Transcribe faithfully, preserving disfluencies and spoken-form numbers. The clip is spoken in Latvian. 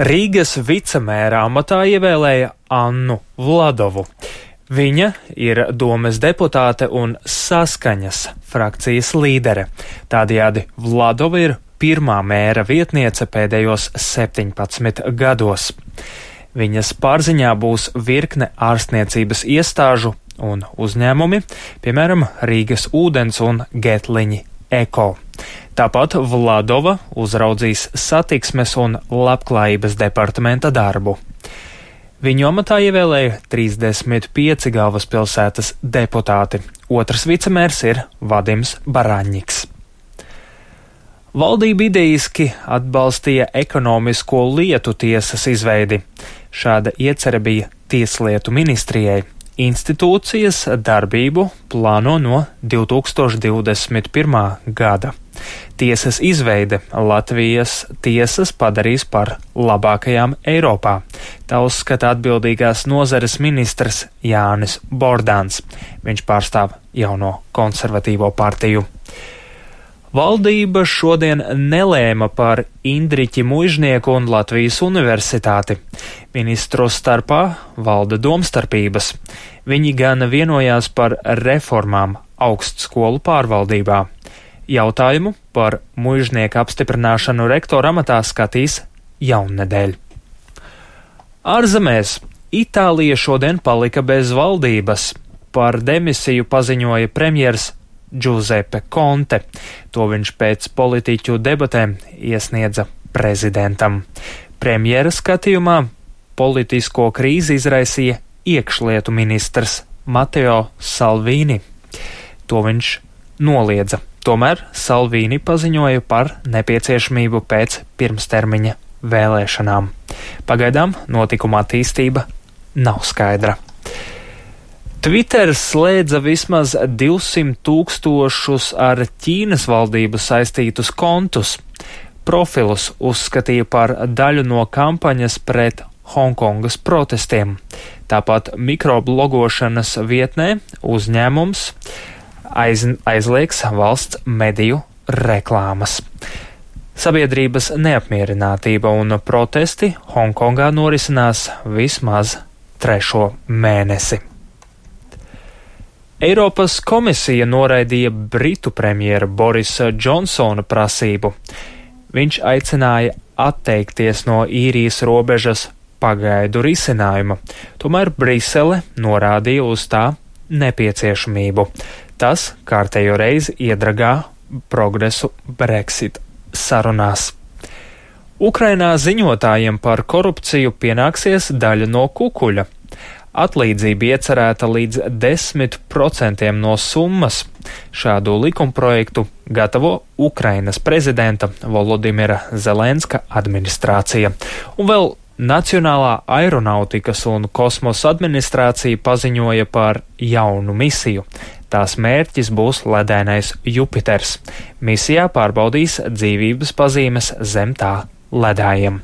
Rīgas vicemēra amatā ievēlēja Annu Vladovu. Viņa ir domes deputāte un Saskaņas frakcijas līdere. Tādējādi Vladova ir pirmā mēra vietniece pēdējos septiņpadsmit gados. Viņas pārziņā būs virkne ārstniecības iestāžu un uzņēmumi, piemēram, Rīgas ūdens un Getliņi Eko. Tāpat Vladova uzraudzīs satiksmes un labklājības departamenta darbu. Viņu amatā ievēlēja trīsdesmit pieci galvaspilsētas deputāti. Otrs vicemērs ir Vadims Baraņņiks. Valdība idejiski atbalstīja ekonomisko lietu tiesas izveidi. Šāda iecerē bija Tieslietu ministrijai. Institūcijas darbību plāno no divi tūkstoši divdesmit pirmā gada. Tiesas izveide Latvijas tiesas padarīs par labākajām Eiropā. Tā uzskata atbildīgās nozares ministrs Jānis Bordāns. Viņš pārstāv jauno konservatīvo partiju. Valdība šodien nelēma par Indriķi Muižnieku un Latvijas universitāti. Ministru starpā valda domstarpības. Viņi gan vienojās par reformām augstskolu pārvaldībā. Jautājumu par Muižnieka apstiprināšanu rektora amatā skatīs jaunnedēļ. Ārzemēs Itālija šodien palika bez valdības. Par demisiju paziņoja premjers Giuseppe Conte. To viņš pēc politiķu debatēm iesniedza prezidentam. Premjera skatījumā politisko krīzi izraisīja iekšlietu ministrs Matteo Salvini. To viņš noliedza. Tomēr Salvini paziņoja par nepieciešamību pēc pirmstermiņa vēlēšanām. Pagaidām notikuma attīstība nav skaidra. Twitter slēdza vismaz divsimt tūkstošus ar Ķīnas valdību saistītus kontus. Profilus uzskatīja par daļu no kampaņas pret Hongkongas protestiem. Tāpat mikroblogošanas vietnē uzņēmums aiz, aizliegs valsts mediju reklāmas. Sabiedrības neapmierinātība un protesti Hongkongā norisinās vismaz trešo mēnesi. Eiropas komisija noraidīja Britu premjera Borisa Džonsona prasību. Viņš aicināja atteikties no īrijas robežas pagaidu risinājuma, tomēr Brisele norādīja uz tā nepieciešamību. Tas kārtējo reizi iedragā progresu Brexit sarunās. Ukrainā ziņotājiem par korupciju pienāksies daļa no kukuļa. Atlīdzība iecerēta līdz desmit procentiem no summas. Šādu likumprojektu gatavo Ukrainas prezidenta Volodimira Zelenska administrācija. Un vēl Nacionālā aeronautikas un kosmosa administrācija paziņoja par jaunu misiju. Tās mērķis būs ledainais Jupiters. Misijā pārbaudīs dzīvības pazīmes zem tā ledājiem.